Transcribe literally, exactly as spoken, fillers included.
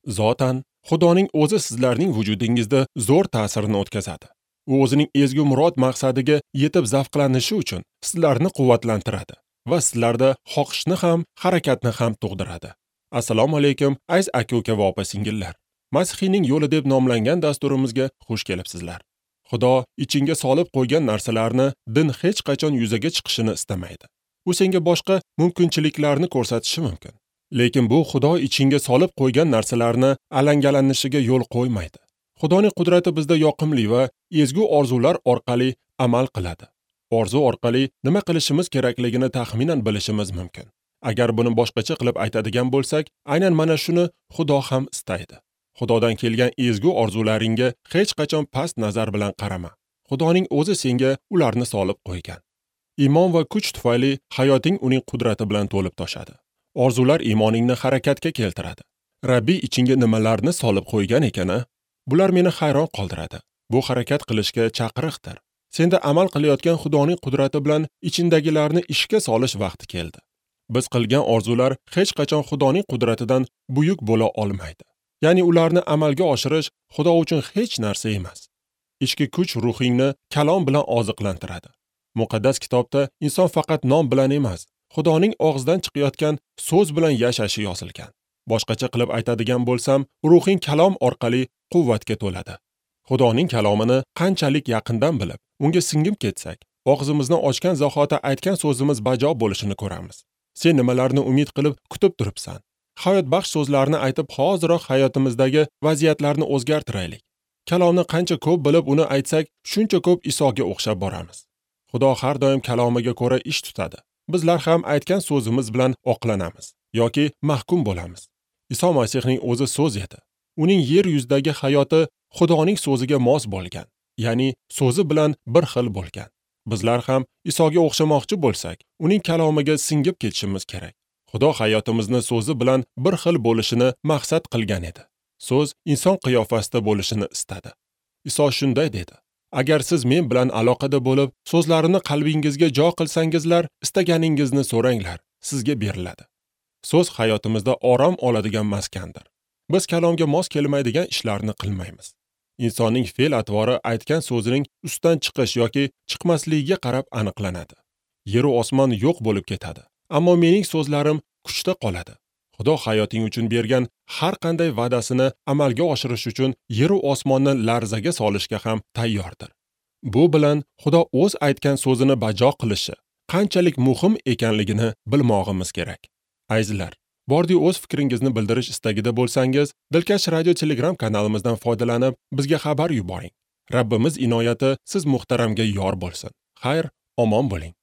Zotan, Xudoning o'zi sizlarning vujudingizda zo'r ta'sirini o'tkazadi. U o'zining ezgu murod maqsadiga yetib zavqlanishi uchun sizlarni quvvatlantiradi va sizlarda xohishni ham, harakatni ham tug'diradi. Assalomu alaykum, aziz aka-uka va opa-singillar. Masihiyning yo'li deb nomlangan dasturimizga xush kelibsizlar. Xudo ichingga solib qo'ygan narsalarni din hech qachon yuzaga chiqishini istamaydi. U senga boshqa mumkinchiliklarni ko'rsatishi mumkin. Lekin bu Xudo ichingga solib qo'ygan narsalarni alangallanishiga yo'l qo'ymaydi. Xudoning qudrati bizda yoqimli va ezgu orzular orqali amal qiladi. Orzu orqali nima qilishimiz kerakligini taxminan bilishimiz mumkin. Agar buni boshqacha qilib aytadigan bo'lsak, aynan mana shuni Xudo ham istaydi. Xudodan kelgan ezgu orzularingga hech qachon past nazar bilan qarama. Xudoning o'zi senga ularni solib qo'ygan. Iymon va kuch tufayli hayoting uning qudrati bilan to'lib toshadi. Orzular iymoningni harakatga keltiradi. Rabbiy ichingga nimalarni solib qo'ygan ekani, bular meni hayron qoldiradi. Bu harakat qilishga chaqiriqdir. Senda amal qilayotgan Xudoning qudrati bilan ichindagilarni ishga solish vaqti keldi. Biz qilgan orzular hech qachon Xudoning qudratidan buyuk bo'la olmaydi. Ya'ni ularni amalga oshirish Xudo uchun hech narsa emas. Ichki kuch ruhingni kalom bilan oziqlantiradi. Muqaddas kitobda inson faqat non bilan emas, Xudoning og'zidan chiqayotgan so'z bilan yashashi yozilgan. Boshqacha qilib aytadigan bo'lsam, ruhing kalom orqali quvvatga to'ladi. Xudoning kalomini qanchalik yaqindan bilib, unga singib ketsak, og'zimizni ochgan zahoti aytgan so'zimiz bajo bo'lishini ko'ramiz. Sen nimalarni umid qilib kutib turibsan? Hayotbaxsh so'zlarni aytib, hoziroq hayotimizdagi vaziyatlarni o'zgartiraylik. Kalomni qancha ko'p bilib uni aytsak, shuncha ko'p Isoga o'xshab boramiz. Xudo har doim kalomiga ko'ra ish tutadi. Bizlar ham aytgan so'zimiz bilan oqlanamiz yoki mahkum bo'lamiz. Iso Masihning o'zi so'z edi. Uning yer yuzidagi hayoti Xudoning so'ziga mos bo'lgan, ya'ni so'zi bilan bir xil bo'lgan. Bizlar ham Isoga o'xshamoqchi bo'lsak, uning kalomiga singib ketishimiz kerak. Xudo hayotimizni so'zi bilan bir xil bo'lishini maqsad qilgan edi. So'z inson qiyofasida bo'lishini istadi. Iso shunday dedi: Agar siz men bilan aloqada bo'lib, so'zlarini qalbingizga jo qilsangizlar, istaganingizni so'ranglar, sizga beriladi. So'z hayotimizda orom oladigan maskandir. Biz kalomga mos kelmaydigan ishlarni qilmaymiz. Insonning fe'l-atvori aytgan so'zining ustidan chiqish yoki chiqmasligiga qarab aniqlanadi. Yer va osmon yo'q bo'lib ketadi, ammo mening so'zlarim kuchda qoladi. Xudo hayoting uchun bergan har qanday va'dasini amalga oshirish uchun yer va osmonni larzaga solishga ham tayyordir. Bu bilan Xudo o'z aytgan so'zini bajo qilishi qanchalik muhim ekanligini bilmog'imiz kerak. Azizlar, bordi o'z fikringizni bildirish istagida bo'lsangiz, Dilkash Radio Telegram kanalimizdan foydalanib, bizga xabar yuboring. Rabbimiz inoyati siz muhtaramga yor bo'lsin. Xayr, omon bo'ling.